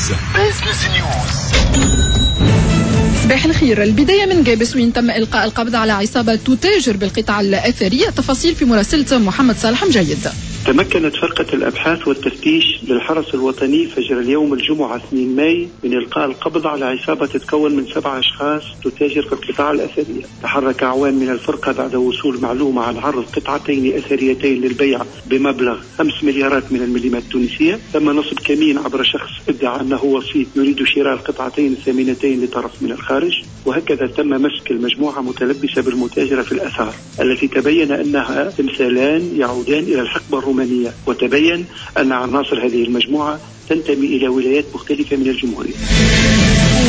Business News. صباح الخير. البداية من قابس وين تم إلقاء القبض على عصابة تتاجر بالقطع الأثرية. تفاصيل في مراسلة محمد صالح مجيد. تمكنت فرقة الأبحاث والتفتيش للحرس الوطني فجر اليوم الجمعة 2 ماي من إلقاء القبض على عصابة تتكون من 7 أشخاص تتاجر في القطع الأثرية. تحرك أعوان من الفرقة بعد وصول معلومة عن عرض قطعتين أثريتين للبيع بمبلغ 5 مليارات من المليمات التونسية. تم نصب كمين عبر شخص ادعى أنه وسيط يريد شراء القطعتين الثمينتين لطرف من الخارج، وهكذا تم مسك المجموعة متلبسة بالمتاجرة في الأثار التي تبين أنها تمثالان يعودان إلى الحقبة الرومانية، وتبين أن عناصر هذه المجموعة تنتمي إلى ولايات مختلفة من الجمهورية.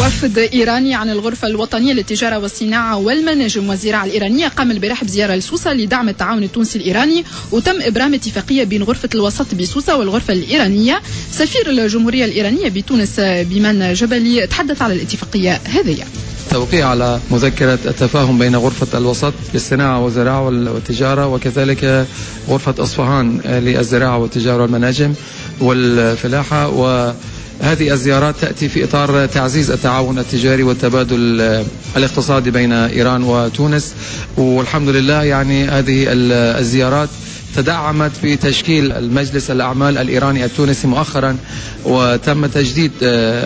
وفد إيراني عن الغرفة الوطنية للتجارة والصناعة والمناجم والزراعة الإيرانية قام البارح بزيارة لسوسة لدعم التعاون التونسي الإيراني، وتم إبرام اتفاقية بين غرفة الوسط بسوسة والغرفة الإيرانية. سفير الجمهورية الإيرانية بتونس بيمان جبلي تحدث على الاتفاقية هذه. توقيع على مذكرة التفاهم بين غرفة الوسط للصناعة والزراعة والتجارة وكذلك غرفة أصفهان للزراعة والتجارة والمناجم والفلاحة، وهذه الزيارات تأتي في إطار تعزيز التعاون التجاري والتبادل الاقتصادي بين إيران وتونس. والحمد لله يعني هذه الزيارات تدعمت بتشكيل المجلس الأعمال الإيراني التونسي مؤخرا، وتم تجديد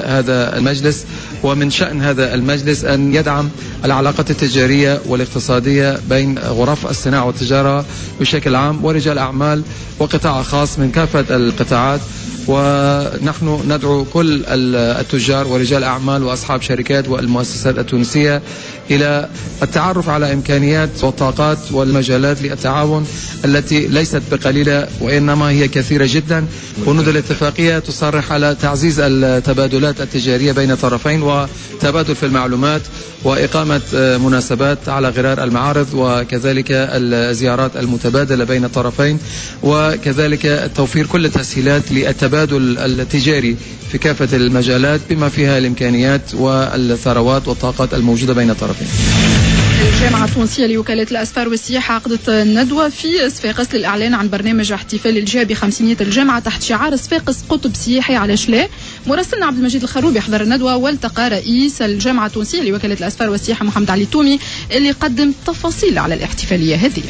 هذا المجلس، ومن شأن هذا المجلس أن يدعم العلاقات التجارية والاقتصادية بين غرف الصناعة والتجارة بشكل عام ورجال أعمال وقطاع خاص من كافة القطاعات. ونحن ندعو كل التجار ورجال أعمال وأصحاب شركات والمؤسسات التونسية إلى التعرف على إمكانيات والطاقات والمجالات للتعاون التي ليست بقليلة وإنما هي كثيرة جدا. بنود الاتفاقية تصرح على تعزيز التبادلات التجارية بين الطرفين وتبادل في المعلومات وإقامة مناسبات على غرار المعارض وكذلك الزيارات المتبادلة بين الطرفين، وكذلك توفير كل التسهيلات للتبادل التجاري في كافة المجالات بما فيها الإمكانيات والثروات والطاقات الموجودة بين الطرفين. الجامعة التونسية لوكالة الأسفار والسياحة عقدت ندوة في صفاقس للإعلان عن برنامج احتفال الجهة بخمسينية الجامعة تحت شعار صفاقس قطب سياحي علاش لا. مراسلنا عبد المجيد الخروبي حضر الندوة والتقى رئيس الجامعة التونسية لوكالة الأسفار والسياحة محمد علي تومي اللي قدم تفاصيل على الاحتفالية هذه.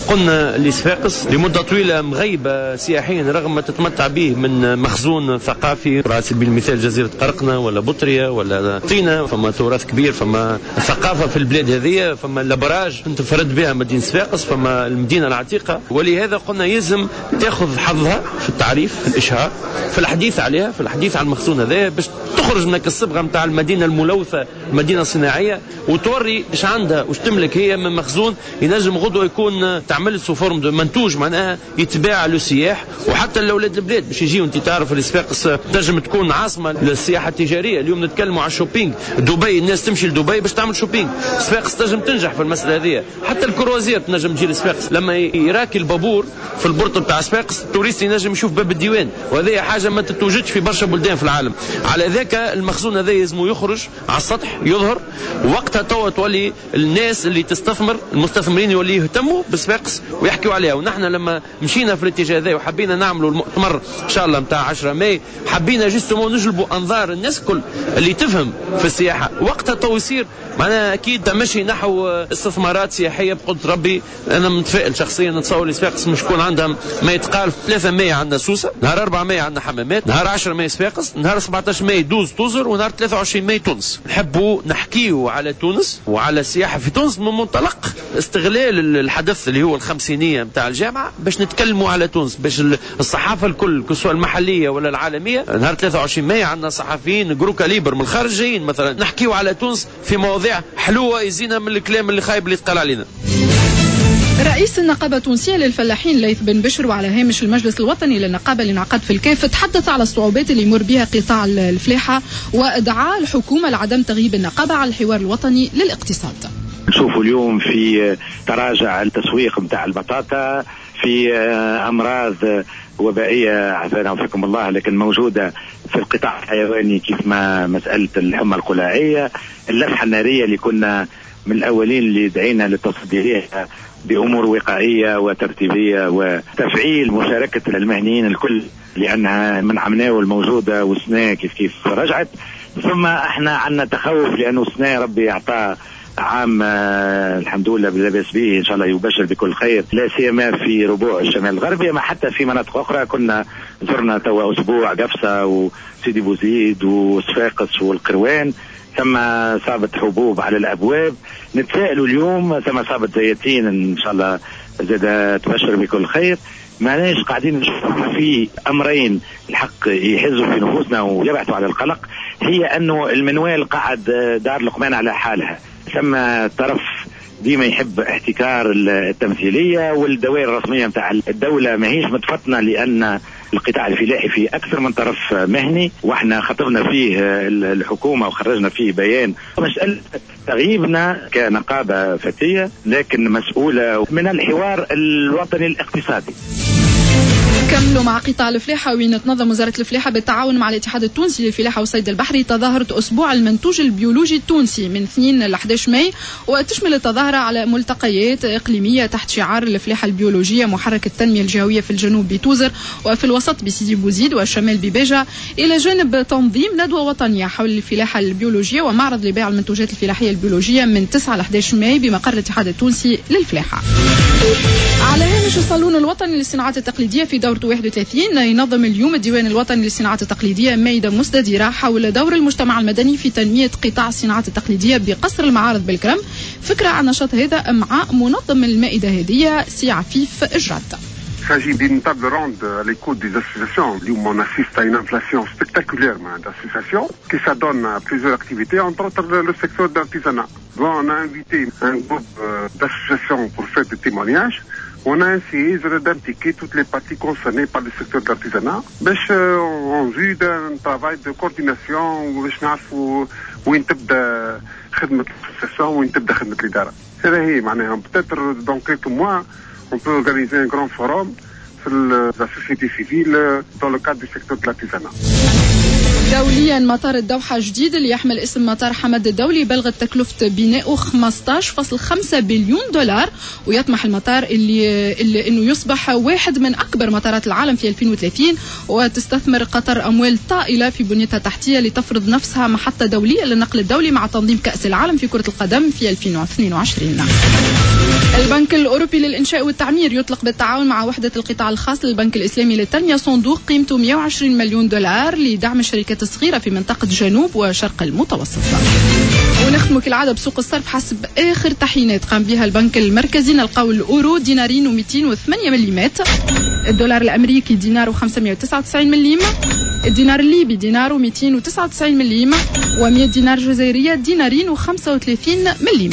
قلنا لصفاقس لمدة طويلة مغيبة سياحيا رغم ما تتمتع به من مخزون ثقافي، على سبيل المثال جزيرة قرقنة ولا بطرية ولا طينة، فما تراث كبير، فما ثقافة في البلاد هذه، فما الأبراج تنفرد بها مدينة صفاقس، فما المدينة العتيقة. ولهذا قلنا يلزم تاخذ حظها في التعريف، في الإشهار، في الحديث عليها، في الحديث عن المخزون هذا باش تخرج من الصبغة نتاع المدينة الملوثة، المدينة الصناعية، وتوري ايش عندها واش تملك هي من مخزون ينجم غدوة يكون تعمل sous forme de منتوج معناها يتباع للسياح وحتى لاولاد البلاد باش يجيو. انت تعرف الصفاقس تنجم تكون عاصمة للسياحة التجارية. اليوم نتكلموا على ال shopping، دبي الناس تمشي لدبي باش تعمل shopping، صفاقس تنجم تنجح في المسالة هذه. حتى ال croisière تنجم تجي لصفاقس، لما يراكي البابور في ال port نتاع صفاقس ال touriste ينجم يشوف باب الديوان، وهذه حاجة ما تتوجدش في برشا بلدان في العالم. على ذاك المخزون هذا يلزم يخرج على السطح يظهر، وقتها توا تولي الناس اللي تستثمر، المستثمرين يولي يهتموا بصفاقس ويحكيوا عليها. ونحن لما مشينا في الاتجاه هذا وحبينا نعملوا المؤتمر ان شاء الله نتاع 10 ماي، حبينا justement نجلبوا انظار الناس الكل اللي تفهم في السياحة. وقتها تو يصير معناها اكيد تمشي نحو استثمارات سياحية بقدر ربي. انا متفائل شخصيا، نتصور صفاقس مش يكون عندها ما يتقال. 3 ماي عندنا سوسة، نهار 4 ماي عندنا حمامات، نهار 10 ماي صفاقس، نهار 17 ماي دوز توزر، ونهار 23 ماي تونس. نحبوا نحكيوا على تونس وعلى السياحة في تونس من منطلق استغلال الحدث اللي هو الخمسينية نتاع الجامعة باش نتكلموا على تونس، باش الصحافة الكل سواء المحلية ولا العالمية. نهار 23 ماي عندنا صحفيين gros calibre من الخارج جايين مثلا نحكيوا على تونس في مواضيع حلوة يزينا من الكلام اللي خايب اللي يتقال علينا. رئيس النقابة التونسية للفلاحين ليث بن بشر وعلى هامش المجلس الوطني للنقابة اللي انعقد في الكاف تحدث على الصعوبات اللي يمر بها قطاع الفلاحة ودعا الحكومة لعدم تغييب النقابة على الحوار الوطني للاقتصاد. نشوفوا اليوم في تراجع التسويق نتاع البطاطا، في أمراض وبائية عافانا وفيكم الله لكن موجودة في القطاع الحيواني كيف ما مسألة الحمى القلاعية، اللفحة النارية اللي كنا من الأولين اللي دعينا للتصدي لها بأمور وقائية وترتيبية وتفعيل مشاركة المهنيين الكل، لأنها من عمناول الموجودة والسنة كيف كيف رجعت. ثم احنا عندنا تخوف لأنه السنة ربي أعطاه عام الحمد لله لاباس به، ان شاء الله يبشر بكل خير، لا سيما في ربوع الشمال الغربي، ما حتى في مناطق اخرى. كنا زرنا توا اسبوع قفصه وسيدي بوزيد وصفاقس والقروان، ثم صابت حبوب على الابواب. نتسائلوا اليوم ثم صابت زيتين ان شاء الله زاد تبشر بكل خير. معناش قاعدين نشوف في امرين الحق يحزوا في نفوسنا ويبعثوا على القلق، هي انه المنوال قاعد دار لقمان على حالها، ثم طرف ديما يحب احتكار التمثيلية والدوائر الرسمية نتاع الدولة ماهيش متفطنه، لان القطاع الفلاحي فيه اكثر من طرف مهني، واحنا خطبنا فيه الحكومة وخرجنا فيه بيان. مسالة تغييبنا كنقابه فتية لكن مسؤولة من الحوار الوطني الاقتصادي. كملوا مع قطاع الفلاحة، وين تنظم وزارة الفلاحة بالتعاون مع الاتحاد التونسي للفلاحة والصيد البحري تظاهرة أسبوع المنتوج البيولوجي التونسي من 2 ل 11 ماي، وتشمل التظاهرة على ملتقيات إقليمية تحت شعار الفلاحة البيولوجية محرك التنمية الجهوية في الجنوب بتوزر وفي الوسط بسيدي بوزيد والشمال بباجة، إلى جانب تنظيم ندوة وطنية حول الفلاحة البيولوجية ومعرض لبيع المنتوجات الفلاحية البيولوجية من 9 ل 11 ماي بمقر الاتحاد التونسي للفلاحة. على هامش الصالون الوطني للصناعات التقليدية في دورته 31 ينظم اليوم الديوان الوطني للصناعات التقليدية مائدة مستديرة حول دور المجتمع المدني في تنمية قطاع الصناعات التقليدية بقصر المعارض بالكرم. فكرة عن النشاط هذا مع منظم المائدة هذه سي عفيف إجرات. Il s'agit d'une table ronde à l'écoute des associations. Où on assiste à une inflation spectaculaire d'associations qui s'adonnent à plusieurs activités, entre autres le secteur de l'artisanat. Bon, on a invité un groupe d'associations pour faire des témoignages. On a essayé d'impliquer toutes les parties concernées par le secteur de l'artisanat باش en vue d'un travail de coordination باش نعرفوا وين تبدا خدمة l'association وين تبدا خدمة الإدارة. هذا هي معناها peut-être dans quelques mois on peut organiser un grand forum sur la société civile dans le cadre du secteur de l'artisanat. دوليا مطار الدوحة جديد اللي يحمل اسم مطار حمد الدولي بلغت تكلفة بنائه 15.5 بليون دولار، ويطمح المطار اللي انه يصبح واحد من اكبر مطارات العالم في 2030. وتستثمر قطر اموال طائلة في بنيتها التحتية لتفرض نفسها محطة دولية للنقل الدولي مع تنظيم كأس العالم في كرة القدم في 2022. البنك الأوروبي للإنشاء والتعمير يطلق بالتعاون مع وحدة القطاع الخاص للبنك الإسلامي للتنمية صندوق قيمته 120 مليون دولار لدعم الشركات الصغيرة في منطقة جنوب وشرق المتوسط. ونختم كالعادة بسوق الصرف حسب آخر تحيينات قام بها البنك المركزي. نلقاو الأورو دينارين و208 مليمات، الدولار الأمريكي دينار و599 مليم، الدينار الليبي دينار و299 مليم، و100 دينار جزائرية دينارين و35 مليم.